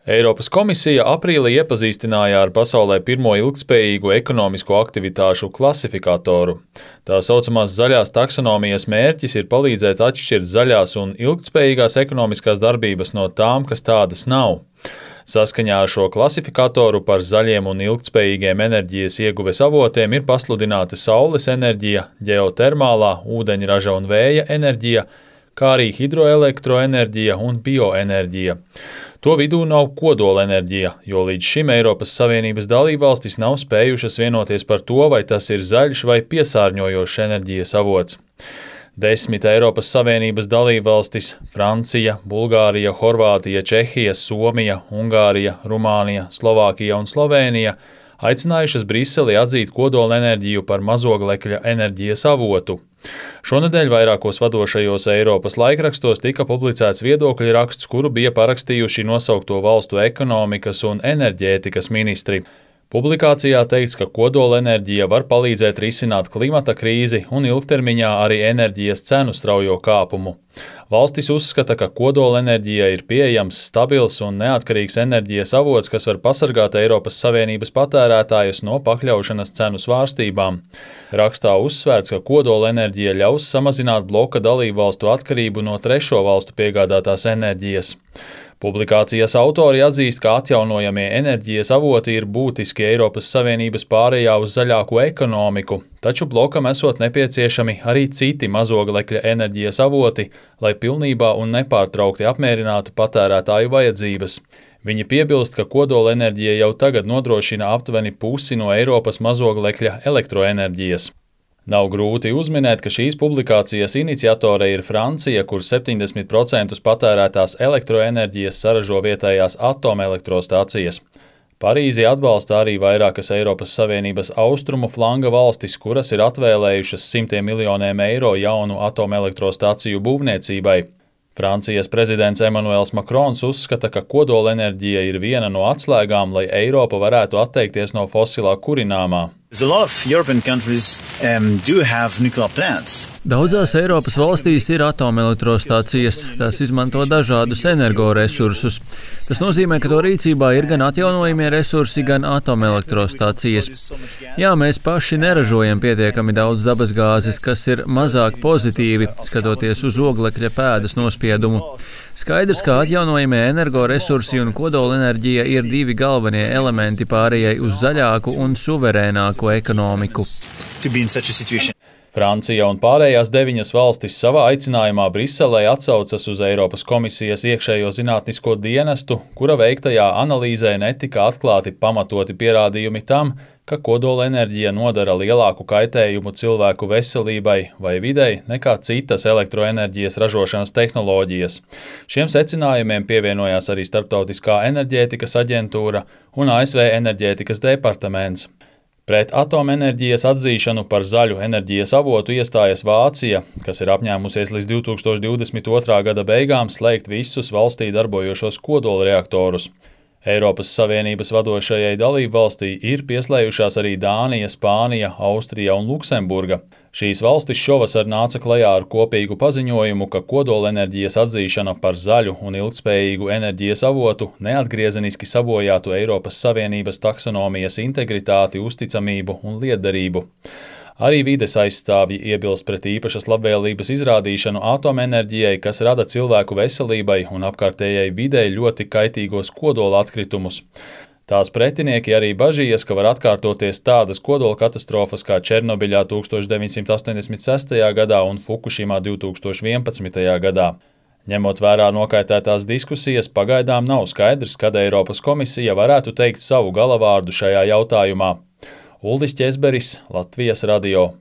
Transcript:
Eiropas komisija aprīlī iepazīstināja ar pasaulē pirmo ilgtspējīgo ekonomisko aktivitāšu klasifikatoru. Tā saucamās zaļās taksonomijas mērķis ir palīdzēt atšķirt zaļās un ilgtspējīgās ekonomiskās darbības no tām, kas tādas nav. Saskaņā ar šo klasifikatoru par zaļiem un ilgtspējīgiem enerģijas ieguves avotiem ir pasludināti saules enerģija, ģeotermālā, ūdeņraža un vēja enerģija, kā arī hidroelektroenerģija un bioenerģija. To vidū nav kodolenerģija, jo līdz šim Eiropas Savienības dalībvalstis nav spējušas vienoties par to, vai tas ir zaļš vai piesārņojošs enerģijas avots. 10 Eiropas Savienības dalībvalstis – Francija, Bulgārija, Horvātija, Čehija, Somija, Ungārija, Rumānija, Slovākija un Slovēnija – aicinājušas Briseli atzīt kodolenerģiju par mazoglekļa enerģijas avotu. Šonedēļ vairākos vadošajos Eiropas laikrakstos tika publicēts viedokļu raksts, kuru bija parakstījuši nosaukto valstu ekonomikas un enerģētikas ministri. Publikācijā teikts, ka kodolenerģija var palīdzēt risināt klimata krīzi un ilgtermiņā arī enerģijas cenu straujo kāpumu. Valstis uzskata, ka kodolenerģija ir pieejams, stabils un neatkarīgs enerģijas avots, kas var pasargāt Eiropas Savienības patērētājus no pakļaušanas cenu svārstībām. Rakstā uzsvērts, ka kodolenerģija ļaus samazināt bloka dalībvalstu atkarību no trešo valstu piegādātās enerģijas. Publikācijas autori atzīst, ka atjaunojamie enerģijas avoti ir būtiski Eiropas Savienības pārējā uz zaļāko ekonomiku, taču blokam esot nepieciešami arī citi mazoglekļa enerģijas avoti, lai pilnībā un nepārtraukti apmierinātu patērētāju vajadzības. Viņi piebilst, ka kodolenerģija jau tagad nodrošina aptuveni pusi no Eiropas mazoglekļa elektroenerģijas. Nav grūti uzminēt, ka šīs publikācijas iniciatore ir Francija, kur 70% patērētās elektroenerģijas saražo vietējās atomelektrostācijas. Parīzi atbalsta arī vairākas Eiropas Savienības austrumu flanga valstis, kuras ir atvēlējušas simtiem miljoniem eiro jaunu atomelektrostāciju būvniecībai. Francijas prezidents Emmanuels Macrons uzskata, ka kodolenerģija ir viena no atslēgām, lai Eiropa varētu atteikties no fosilā kurināmā. Daudzās Eiropas valstīs ir atomelektrostācijas, tās izmanto dažādus energoresursus. Tas nozīmē, ka to rīcībā ir gan atjaunojamie resursi, gan atomelektrostācijas. Jā, mēs paši neražojam pietiekami daudz dabasgāzes, kas ir mazāk pozitīvi, skatoties uz oglekļa pēdas nospiedumu. Skaidrs, ka atjaunojamie energoresursi un kodolenerģija ir divi galvenie elementi pārējai uz zaļāku un suverēnāku ekonomiku. Francija un pārējās 9 valstis savā aicinājumā Briselē atsaucas uz Eiropas komisijas iekšējo zinātnisko dienestu, kura veiktajā analīzē netika atklāti pamatoti pierādījumi tam, ka kodolenerģija nodara lielāku kaitējumu cilvēku veselībai vai videi nekā citas elektroenerģijas ražošanas tehnoloģijas. Šiem secinājumiem pievienojās arī Starptautiskā enerģētikas aģentūra un ASV enerģētikas departaments. Pret atomenerģijas atzīšanu par zaļu enerģijas avotu iestājas Vācija, kas ir apņēmusies līdz 2022. gada beigām slēgt visus valstī darbojošos kodolreaktorus. Eiropas Savienības vadošajai dalībvalstī ir pieslējušās arī Dānija, Spānija, Austrija un Luksemburga. Šīs valstis šovasar nāca klajā ar kopīgu paziņojumu, ka kodolenerģijas atzīšana par zaļu un ilgtspējīgu enerģijas avotu neatgriezeniski sabojātu Eiropas Savienības taksonomijas integritāti, uzticamību un lietderību. Arī vides aizstāvji iebilst pret īpašas labvēlības izrādīšanu atomenerģijai, kas rada cilvēku veselībai un apkārtējai videi ļoti kaitīgos kodola atkritumus. Tās pretinieki arī bažījas, ka var atkārtoties tādas kodola katastrofas kā Černobiļā 1986. gadā un Fukušimā 2011. gadā. Ņemot vērā nokaitētās diskusijas, pagaidām nav skaidrs, kad Eiropas komisija varētu teikt savu galavārdu šajā jautājumā. Uldis Ķezberis, Latvijas radio.